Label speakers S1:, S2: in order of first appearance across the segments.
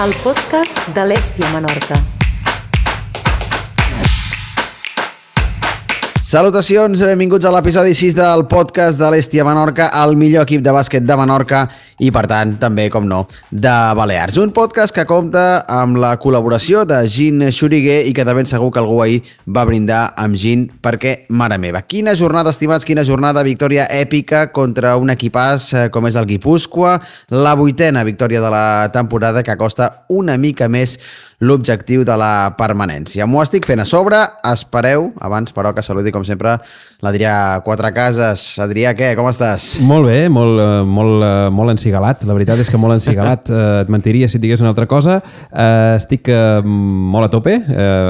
S1: el podcast de l'Hèstia Menorca.
S2: Salutacions, benvinguts a l'episodi 6 del podcast de l'Hèstia Menorca, el millor equip de bàsquet de Menorca i, per tant, també, com no, de Balears. Un podcast que compta amb la col·laboració de Gin Xuriguer i que de ben segur que algú ahir va brindar amb Gin perquè, mare meva, quina jornada, estimats, quina jornada, victòria èpica contra un equipàs com és el Guipúscoa, la 8ª victòria de la temporada que costa una mica més l'objectiu de la permanència. M'ho estic fent a sobre, espereu, abans però que saludi com sempre l'Adrià Quatrecases. Adrià, què? Com estàs?
S3: Molt bé, molt encigalat. La veritat és que molt encigalat. Et mentiria si et digués una altra cosa. Estic molt a tope.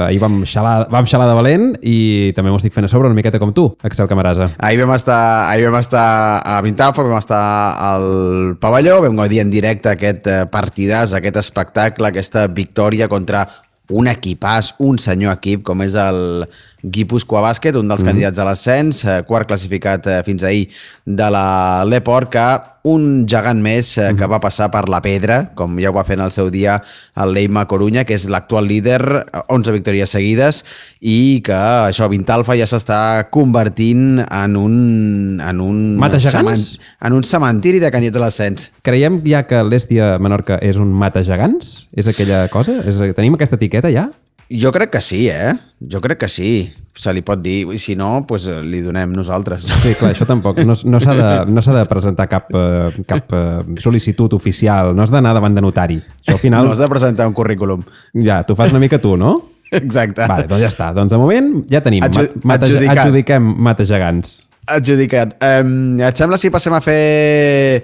S3: Ahir vam xalar de valent i també m'ho estic fent a sobre una miqueta com tu, Axel Camarasa.
S2: Ahir vam estar a Vintalfa, vam estar al pavelló, vam gaudir en directe aquest partidàs, aquest espectacle, aquesta victòria contra un equipàs, un senyor equip com és el Guipúscoa Bàsquet, un dels candidats a l'ascens, quart classificat fins ahir de l'Eport, que un gegant més que va passar per la pedra, com ja ho va fer en el seu dia el Leima Corunya, que és l'actual líder, 11 victòries seguides, i que això, Vintalfa ja s'està convertint en un
S3: Mata-gegants?
S2: En un cementiri de candidats a l'ascens.
S3: Creiem ja que l'Hèstia Menorca és un mata-gegants? És aquella cosa? Tenim aquesta etiqueta ja?
S2: Jo crec que sí, Jo crec que sí. Se li pot dir. I si no, doncs li donem nosaltres.
S3: Sí, clar, això tampoc. No s'ha de presentar cap sol·licitud oficial. No has d'anar davant de notari. Això al final...
S2: No has de presentar un currículum.
S3: Ja, t'ho fas una mica tu, no?
S2: Exacte.
S3: Vale, doncs ja està. Doncs de moment ja tenim. Adjudiquem mata-gegants.
S2: Adjudicat. Et sembla si passem a fer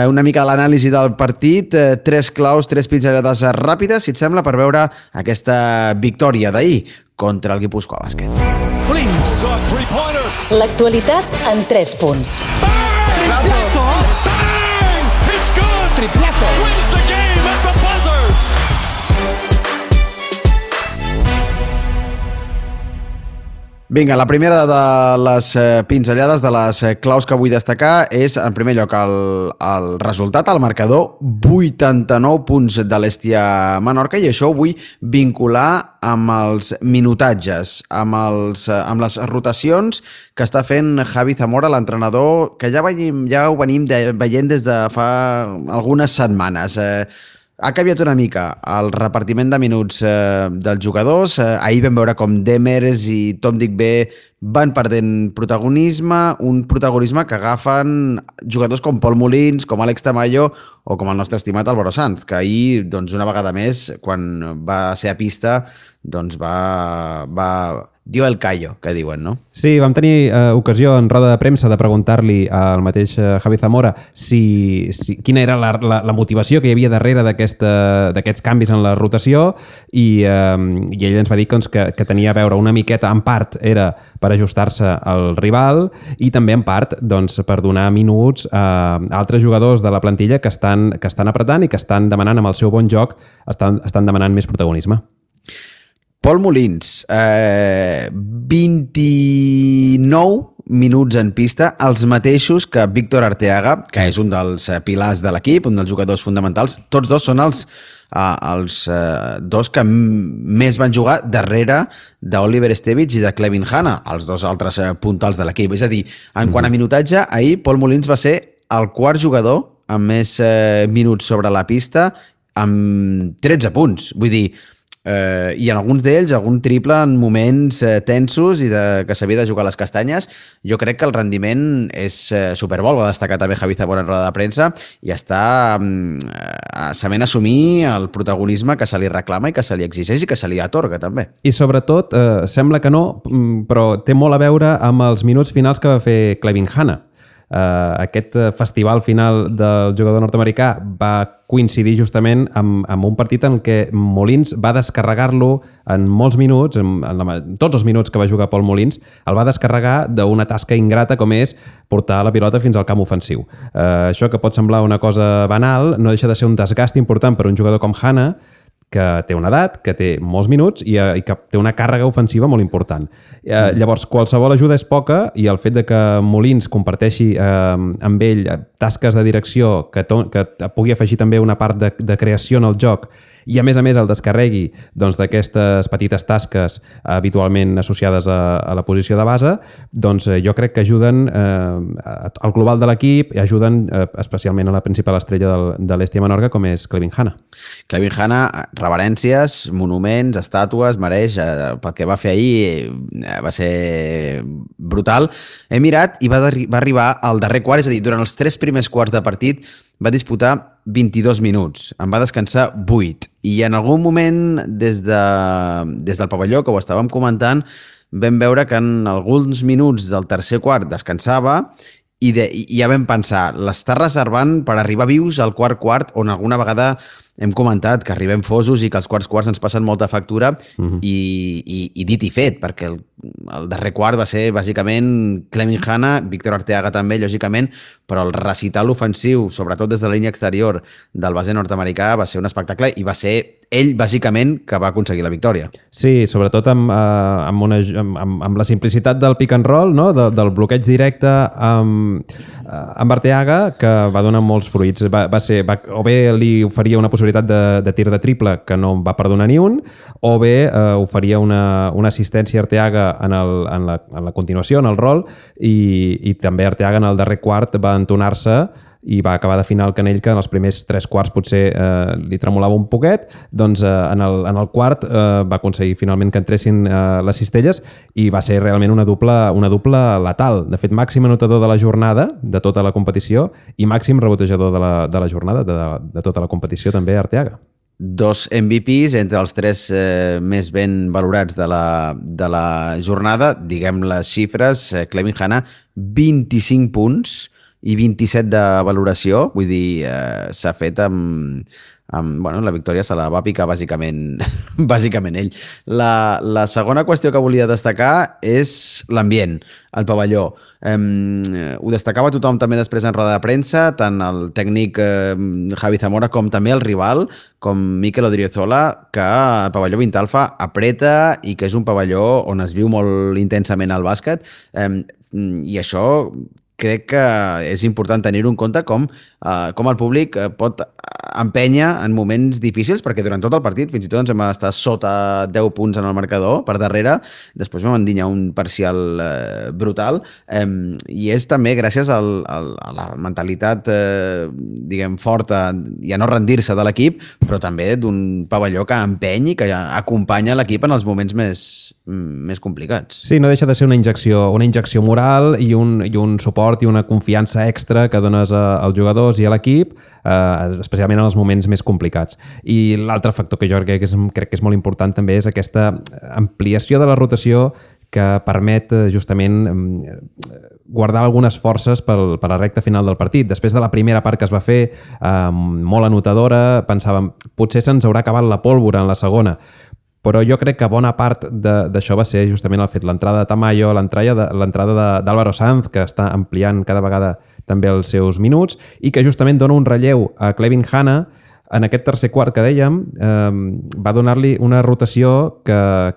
S2: una mica de l'anàlisi del partit, 3 claus, 3 pinzellades ràpides, si et sembla, per veure aquesta victòria d'ahir contra el Guipúscoa Bàsquet.
S1: L'actualitat en 3 punts.
S4: Triplazo! Bang! It's good!
S1: Triplazo!
S4: Wins the game at the buzzer!
S2: Vinga, la primera de les pinzellades, de les claus que vull destacar és, en primer lloc, el resultat, el marcador, 89 punts de l'Hèstia Menorca, i això ho vull vincular amb els minutatges, amb les rotacions que està fent Javi Zamora, l'entrenador, que ja ho venim veient des de fa algunes setmanes. Ha canviat una mica el repartiment de minuts dels jugadors. Ahir vam veure com Demers i Tom Digbé van perdent protagonisme, un protagonisme que agafen jugadors com Pol Molins, com Àlex Tamayo o com el nostre estimat Álvaro Sanz, que ahir, doncs, una vegada més, quan va ser a pista, doncs va dio el callo, que diuen, no?
S3: Sí, vam tenir ocasió en roda de premsa de preguntar-li al mateix Javi Zamora quina era la motivació que hi havia darrere d'aquests canvis en la rotació i ell ens va dir doncs, que tenia a veure una miqueta, en part era per ajustar-se al rival i també en part doncs, per donar minuts a altres jugadors de la plantilla que estan apretant i que estan demanant amb el seu bon joc, estan demanant més protagonisme.
S2: Pol Molins, 29 minuts en pista, els mateixos que Víctor Arteaga, que és un dels pilars de l'equip, un dels jugadors fonamentals. Tots dos són els dos que més van jugar darrere d'Oliver Estevich i de Clevin Hanna, els dos altres puntals de l'equip. És a dir, en quant a minutatge, ahir Pol Molins va ser el quart jugador amb més minuts sobre la pista, amb 13 punts. Vull dir, i en alguns d'ells algun triple en moments tensos i que s'havia de jugar a les castanyes. Jo crec que el rendiment és superbo, ho va destacar també Javi Zamora en roda de premsa, i està sabent assumir el protagonisme que se li reclama i que se li exigeix i que se li atorga també.
S3: I sobretot, sembla que no, però té molt a veure amb els minuts finals que va fer Clevin Hanna. Aquest festival final del jugador nord-americà va coincidir justament amb un partit en què Molins va descarregar-lo en molts minuts, en tots els minuts que va jugar Pol Molins, el va descarregar d'una tasca ingrata com és portar la pilota fins al camp ofensiu. Això que pot semblar una cosa banal no deixa de ser un desgast important per un jugador com Hanna, que té una edat, que té molts minuts i que té una càrrega ofensiva molt important. Llavors, qualsevol ajuda és poca i el fet de que Molins comparteixi amb ell tasques de direcció, que pugui afegir també una part de creació en el joc i a més el descarregui doncs, d'aquestes petites tasques habitualment associades a la posició de base, doncs jo crec que ajuden al global de l'equip i ajuden especialment a la principal estrella de l'Hestia Menorca, com és Clevin Hanna.
S2: Clevin Hanna, reverències, monuments, estàtues, mereix, pel que va fer ahir va ser brutal. He mirat i va arribar al darrer quart, és a dir, durant els 3 primers quarts de partit va disputar 22 minuts, en va descansar 8, i en algun moment des del pavelló, que ho estàvem comentant, vam veure que en alguns minuts del tercer quart descansava i ja vam pensar, l'està reservant per arribar vius al quart, on alguna vegada hem comentat que arribem fosos i que els quarts ens passen molta factura i dit i fet, perquè el darrer quart va ser bàsicament Clevin Hanna, Víctor Arteaga també, lògicament, però el recital ofensiu, sobretot des de la línia exterior del base nord-americà, va ser un espectacle i va ser ell, bàsicament, que va aconseguir la victòria.
S3: Sí, sobretot amb la simplicitat del pick and roll, no? Del bloqueig directe amb Arteaga, que va donar molts fruits. O bé li oferia una possibilitat de tir de triple que no va perdonar ni un, o bé oferia una assistència a Arteaga en la continuació, en el rol, i també Arteaga en el darrer quart va entonar-se i va acabar d'afinar el canell, que en els primers 3 quarts potser li tremolava un poquet, doncs en el quart va aconseguir finalment que entressin les cistelles i va ser realment una dupla letal. De fet, màxim anotador de la jornada, de tota la competició, i màxim rebotejador de la jornada, de tota la competició també, Arteaga.
S2: 2 MVPs entre els 3 més ben valorats de la jornada. Diguem les xifres, Clevin Hanna, 25 punts i 27 de valoració, vull dir, s'ha fet bueno, la victòria se la va picar bàsicament ell. La segona qüestió que volia destacar és l'ambient, el pavelló. Ho destacava tothom també després en roda de premsa, tant el tècnic Javi Zamora com també el rival, com Mikel Odriozola, que el pavelló Vintalfa apreta i que és un pavelló on es viu molt intensament el bàsquet, i això crec que és important tenir-ho en compte, com el públic pot empènyer en moments difícils, perquè durant tot el partit fins i tot ens vam estar sota 10 punts en el marcador, per darrere, després vam endinyar un parcial brutal, i és també gràcies a la mentalitat diguem forta i a no rendir-se de l'equip, però també d'un pavelló que empeny i que acompanya l'equip en els moments més complicats.
S3: Sí, no deixa de ser una injecció moral i un suport i una confiança extra que dones als jugadors i a l'equip, especialment en els moments més complicats. I l'altre factor que jo crec que és molt important també és aquesta ampliació de la rotació que permet justament guardar algunes forces per la recta final del partit. Després de la primera part que es va fer molt anotadora, pensàvem, potser se'ns haurà acabat la pólvora en la segona, però jo crec que bona part d'això va ser justament el fet, l'entrada de Tamayo, l'entrada d'Álvaro Sanz, que està ampliant cada vegada també els seus minuts, i que justament dona un relleu a Clevin Hanna. En aquest tercer quart que dèiem, va donar-li una rotació que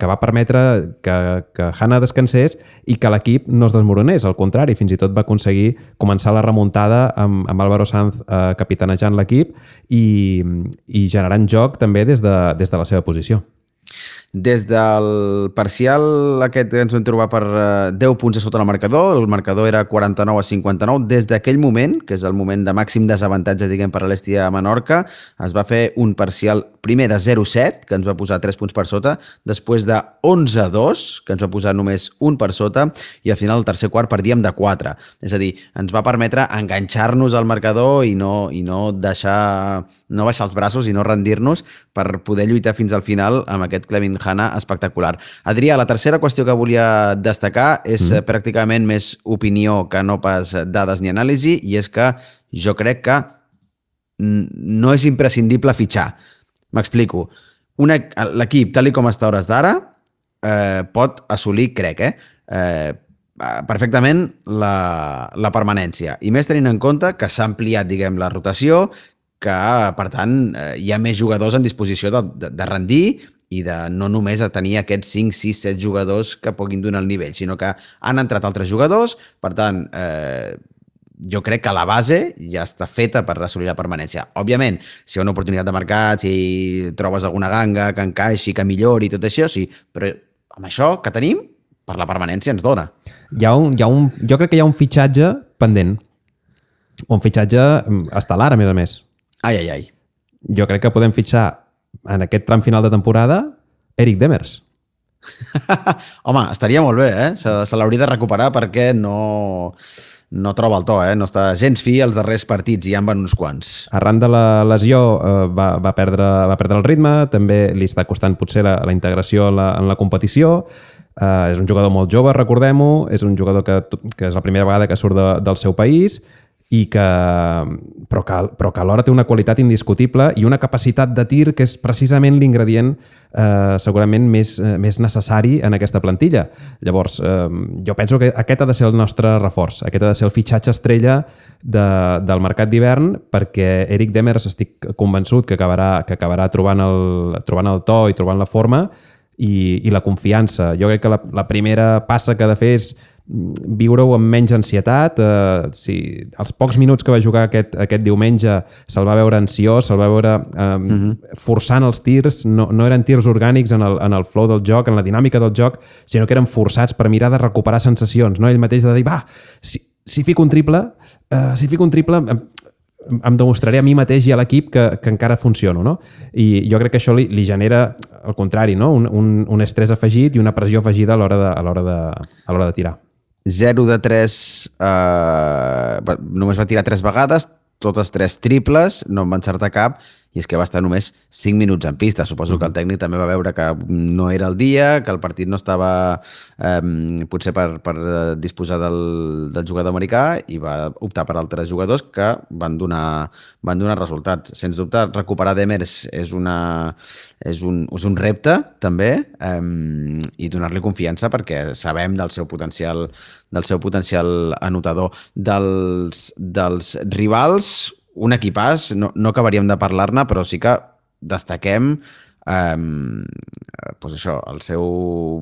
S3: va permetre que Hanna descansés i que l'equip no es desmoronés. Al contrari, fins i tot va aconseguir començar la remuntada amb Álvaro Sanz capitanejant l'equip i generant joc també des de la seva posició.
S2: Des del parcial aquest que ens vam trobar per 10 punts a sota el marcador era 49-59, des d'aquell moment, que és el moment de màxim desavantatge, diguem, per a l'Hestia Menorca, es va fer un parcial primer de 0-7, que ens va posar 3 punts per sota, després de 11-2, que ens va posar només 1 per sota, i al final del tercer quart perdíem de 4. És a dir, ens va permetre enganxar-nos al marcador i no baixar els braços i no rendir-nos per poder lluitar fins al final amb aquest Clevin Hanna espectacular. Adrià, la tercera qüestió que volia destacar és pràcticament més opinió que no pas dades ni anàlisi, i és que jo crec que no és imprescindible fitxar. M'explico. L'equip, tal com està a hores d'ara, pot assolir, crec, perfectament la permanència. I més tenint en compte que s'ha ampliat, diguem, la rotació, que, per tant, hi ha més jugadors en disposició de rendir i de no només tenir aquests 5, 6, 7 jugadors que puguin donar el nivell, sinó que han entrat altres jugadors, per tant, jo crec que la base ja està feta per assolir la permanència. Òbviament, si hi ha una oportunitat de mercat, si trobes alguna ganga que encaixi, que millori, tot això, sí, però amb això que tenim, per la permanència ens dona.
S3: Jo crec que hi ha un fitxatge pendent. Un fitxatge estel·lar, a més.
S2: Ai.
S3: Jo crec que podem fitxar en aquest tram final de temporada Eric Demers.
S2: Home, estaria molt bé, Se l'hauria de recuperar perquè no troba el to, No està gens fi els darrers partits, ja en van uns quants.
S3: Arran de la lesió va perdre el ritme, també li està costant potser la integració en la competició. És un jugador molt jove, recordem-ho, és un jugador que és la primera vegada que surt del seu país, però que alhora té una qualitat indiscutible i una capacitat de tir que és precisament l'ingredient segurament més necessari en aquesta plantilla. Llavors, jo penso que aquest ha de ser el nostre reforç, aquest ha de ser el fitxatge estrella del mercat d'hivern, perquè Eric Demers estic convençut que acabarà trobant el to i trobant la forma i la confiança. Jo crec que la primera passa que ha de fer és viure-ho amb menys ansietat. Els pocs minuts que va jugar aquest diumenge se'l va veure ansiós, se'l va veure forçant els tirs, no eren tirs orgànics en el flow del joc, en la dinàmica del joc, sinó que eren forçats per mirar de recuperar sensacions, no? Ell mateix de dir, si fico un triple em demostraré a mi mateix i a l'equip que encara funciono, no? I jo crec que això li genera, al contrari, no? Un estrès afegit i una pressió afegida a l'hora de tirar.
S2: 0 de 3, només va tirar 3 vegades, totes 3 triples, no en va encertar cap, i és que va estar només 5 minuts en pista. Suposo que el tècnic també va veure que no era el dia, que el partit no estava potser per disposar del jugador americà, i va optar per altres jugadors que van donar resultats. Sens dubte, recuperar Demers és un repte, també, i donar-li confiança perquè sabem del seu potencial anotador. Dels rivals, un equipàs, no acabaríem de parlar-ne, però sí que destaquem el seu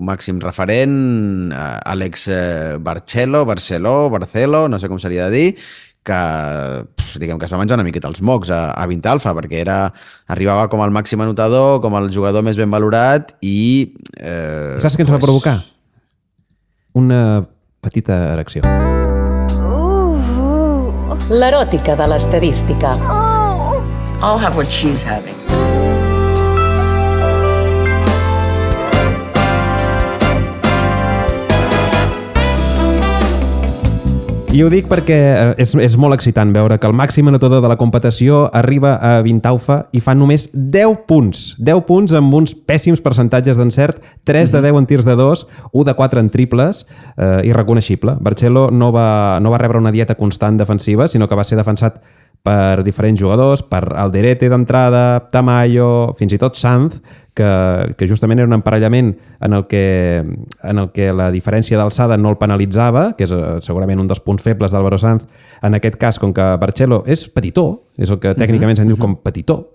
S2: màxim referent, Alex Barcelo, no sé com s'hauria de dir, que diguem que es va menjar una miqueta els mocs a Vintalfa, perquè arribava com el màxim anotador, com el jugador més ben valorat i...
S3: Saps què ens va provocar? Una petita erecció.
S1: L'eròtica de l'estadística.
S5: I'll have what she's having.
S3: I ho dic perquè és molt excitant veure que el màxim anotador de la competició arriba a Vintalfa i fa només 10 punts. 10 punts amb uns pèssims percentatges d'encert, 3 de 10 en tirs de 2, 1 de 4 en triples, irreconeixible. Barcelo no va rebre una dieta constant defensiva, sinó que va ser defensat per diferents jugadors, per Alderete d'entrada, Tamayo, fins i tot Sanz, que justament era un emparellament en el que la diferència d'alçada no el penalitzava, que és segurament un dels punts febles d'Álvaro Sanz. En aquest cas, com que Barcelo és petitó, és el que tècnicament se'n diu com petitó,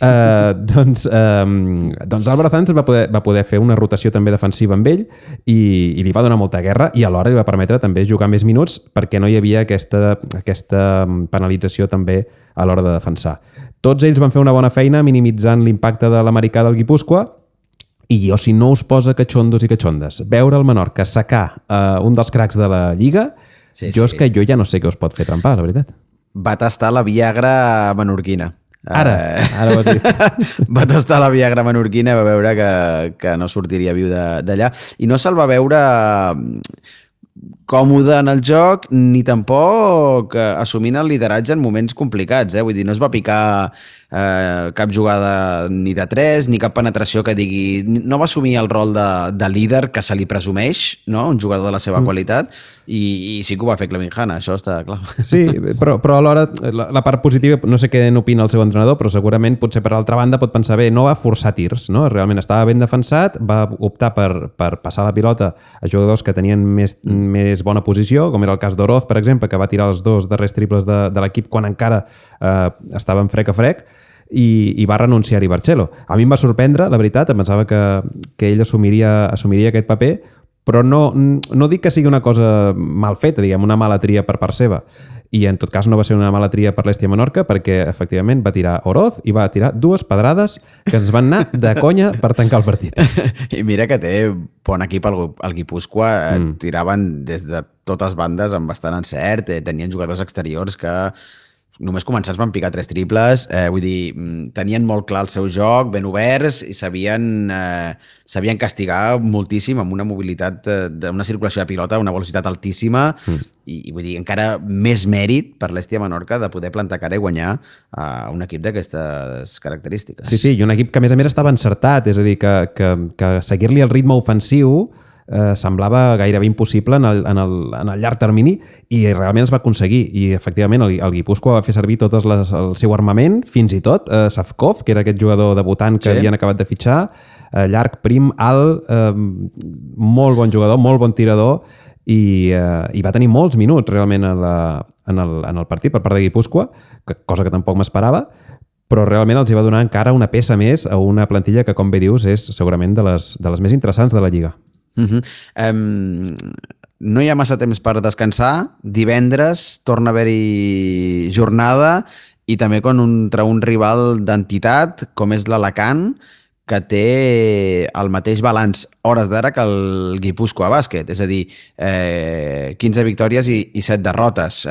S3: doncs Álvaro Sanz va poder fer una rotació també defensiva amb ell i li va donar molta guerra, i alhora li va permetre també jugar més minuts perquè no hi havia aquesta penalització també a l'hora de defensar. Tots ells van fer una bona feina minimitzant l'impacte de l'americà del Guipúscoa, i jo, si no us posa catxondos i catxondes, veure el Menorca sacar un dels cracs de la Lliga, és que jo ja no sé què us pot fer trempar, la veritat.
S2: Va tastar la Viagra menorquina.
S3: Ara ho has dit.
S2: Va tastar la Viagra menorquina i va veure que no sortiria viu d'allà. I no se'l va veure còmode en el joc, ni tampoc assumint el lideratge en moments complicats. Vull dir, no es va picar cap jugada ni de 3, ni cap penetració que digui... No va assumir el rol de líder que se li presumeix, no? Un jugador de la seva qualitat, i sí que ho va fer Clevin Hanna, això està clar.
S3: Sí, però alhora la part positiva, no sé què n'opina el seu entrenador, però segurament potser per l'altra banda pot pensar, bé, no va forçar tirs, no? Realment estava ben defensat, va optar per passar la pilota a jugadors que tenien més bona posició, com era el cas d'Oroz, per exemple, que va tirar els 2 darrers triples de l'equip quan encara estaven frec a frec, i va renunciar-hi Barcelo. A mi em va sorprendre, la veritat, em pensava que ell assumiria aquest paper, però no dic que sigui una cosa mal feta, diguem, una mala tria per part seva. i en tot cas no va ser una mala tria per l'Hèstia Menorca perquè efectivament va tirar Oroz i va tirar 2 pedrades que ens van anar de conya per tancar el partit.
S2: I mira que té bon equip el Guipúscoa, tiraven des de totes bandes amb bastant encert, tenien jugadors exteriors que només començats van picar 3 triples, vull dir, tenien molt clar el seu joc, ben oberts, i sabien castigar moltíssim amb una mobilitat, una circulació de pilota, una velocitat altíssima, i vull dir, encara més mèrit per l'Hèstia Menorca de poder plantar cara i guanyar a un equip d'aquestes característiques.
S3: Sí, i un equip que a més estava encertat, és a dir, que seguir-li el ritme ofensiu semblava gairebé impossible en el llarg termini i realment es va aconseguir i efectivament el Guipúscoa va fer servir tot el seu armament, fins i tot Savkov, que era aquest jugador debutant que havien acabat de fitxar, llarg, prim, alt, molt bon jugador, molt bon tirador i va tenir molts minuts realment en el partit per part de Guipúscoa, cosa que tampoc m'esperava, però realment els hi va donar encara una peça més a una plantilla que, com bé dius, és segurament de les més interessants de la Lliga.
S2: No hi ha massa temps per descansar. Divendres torna a haver-hi jornada i també contra un rival d'entitat com és l'Alacant, que té el mateix balanç hores d'ara que el Guipúscoa Bàsquet, és a dir, 15 victòries i 7 derrotes.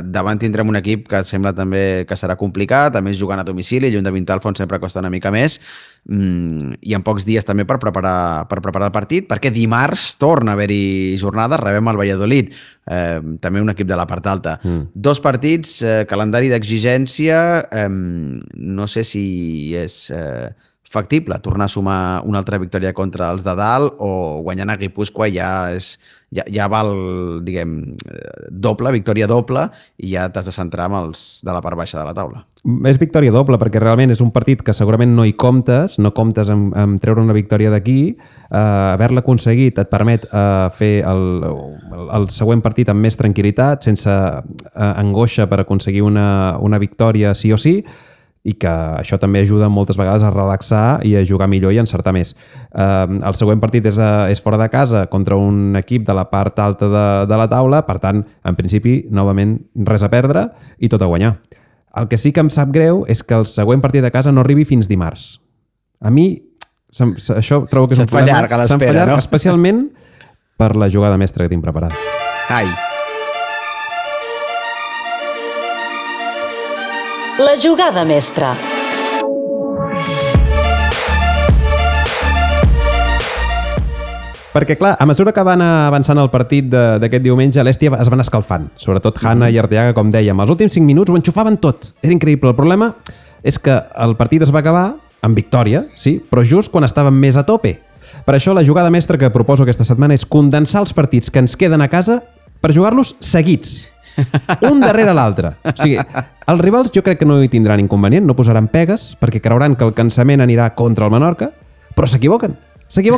S2: Davant tindrem un equip que sembla també que serà complicat, a més jugant a domicili, lluny de Vintalfont sempre costa una mica més, i en pocs dies també per preparar el partit, perquè dimarts torna a haver-hi jornada, rebem el Valladolid, també un equip de la part alta. 2 partits, calendari d'exigència, no sé si és factible tornar a sumar una altra victòria contra els de dalt o guanyant a Guipúscoa ja val, diguem, doble, victòria doble, i ja t'has de centrar amb els de la part baixa de la taula.
S3: És victòria doble perquè realment és un partit que segurament no hi comptes, no comptes amb treure una victòria d'aquí, haver-la aconseguit et permet fer el següent partit amb més tranquil·litat, sense angoixa per aconseguir una victòria sí o sí, i que això també ajuda moltes vegades a relaxar i a jugar millor i a encertar més. El següent partit és fora de casa contra un equip de la part alta de la taula, per tant, en principi, novament, res a perdre i tot a guanyar. El que sí que em sap greu és que el següent partit de casa no arribi fins dimarts. A mi, això trobo que és un problema.
S2: Se't fa llarga l'espera, no?
S3: Especialment per la jugada mestra que tinc preparada.
S2: Ai!
S1: La jugada mestra.
S3: Perquè, clar, a mesura que van avançant el partit d'aquest diumenge, l'Hèstia es van escalfant. Sobretot Hanna i Arteaga, com dèiem. Els últims 5 minuts ho enxufaven tot. Era increïble. El problema és que el partit es va acabar amb victòria, sí, però just quan estàvem més a tope. Per això la jugada mestra que proposo aquesta setmana és condensar els partits que ens queden a casa per jugar-los seguits. Un darrere l'altre. O sigui, els rivals jo crec que no hi tindran inconvenient, no posaran pegues, perquè creuran que el cansament anirà contra el Menorca, però s'equivoquen.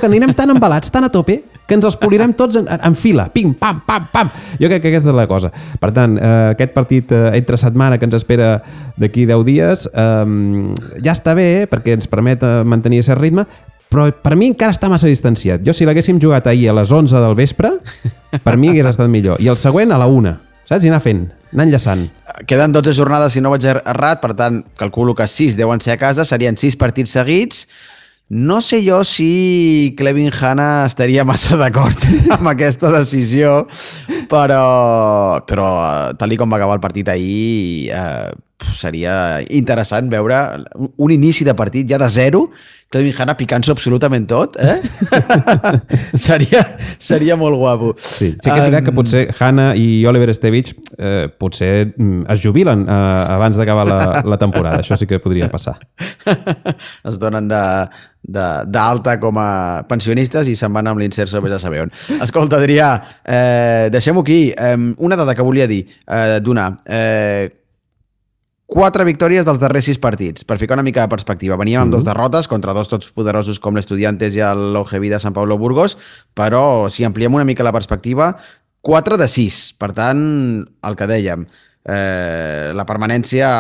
S3: Anirem tan embalats, tan a tope, que ens els polirem tots en fila. Pim, pam, pam, pam. Jo crec que aquesta és la cosa. Per tant, aquest partit entre setmana que ens espera d'aquí 10 dies ja està bé, perquè ens permet mantenir aquest ritme, però per mi encara està massa distanciat. Jo, si l'haguéssim jugat ahir a les 11 del vespre, per mi hagués estat millor. I el següent a la 1. Saps? I anar fent, anar enllaçant.
S2: Queden 12 jornades, si no vaig errat, per tant, calculo que 6 deuen ser a casa, serien 6 partits seguits. No sé jo si Clevin Hanna estaria massa d'acord amb aquesta decisió, però tal com va acabar el partit ahir, seria interessant veure un inici de partit ja de 0, Clevin Hanna picant-s'ho absolutament tot, seria molt guapo.
S3: Sí que és veritat que potser Hanna i Oliver Estevich potser es jubilen abans d'acabar la temporada. Això sí que podria passar.
S2: Es donen d'alta com a pensionistes i se'n van amb l'inserso vés a saber on. Escolta, Adrià, deixem-ho aquí. Una dada que volia dir, donar. 4 victòries dels darrers 6 partits, per ficar una mica de perspectiva. Veníem amb 2 derrotes contra 2 tots poderosos com l'Estudiantes i l'OGB de Sant Pablo Burgos, però si ampliem una mica la perspectiva, 4 de 6. Per tant, el que dèiem, la permanència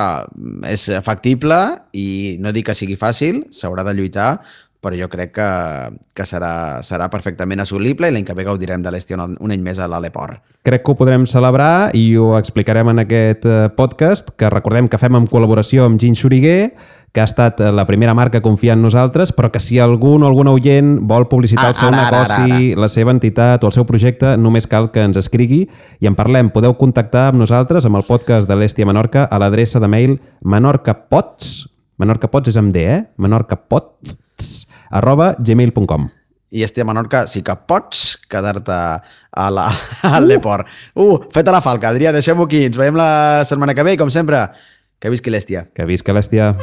S2: és factible i no dic que sigui fàcil, s'haurà de lluitar, però jo crec que serà perfectament assolible i l'any que ve gaudirem de l'Hèstia un any més a l'Aleport.
S3: Crec que ho podrem celebrar i ho explicarem en aquest podcast, que recordem que fem en col·laboració amb Gin Xuriguer, que ha estat la primera marca a confiar en nosaltres, però que si algun o alguna oient vol publicitar el seu negoci, la seva entitat o el seu projecte, només cal que ens escrigui i en parlem. Podeu contactar amb nosaltres, amb el podcast de l'Hèstia Menorca, a l'adreça de mail menorcapots, Menorcapots és amb D, menorcapots@gmail.com.
S2: I Hèstia Menorca, sí que pots quedar-te al Leport. Feta la falca, Adrià, deixem-ho aquí. Ens veiem la setmana que ve i, com sempre, que visqui l'Hèstia.
S3: Que visca l'Hèstia.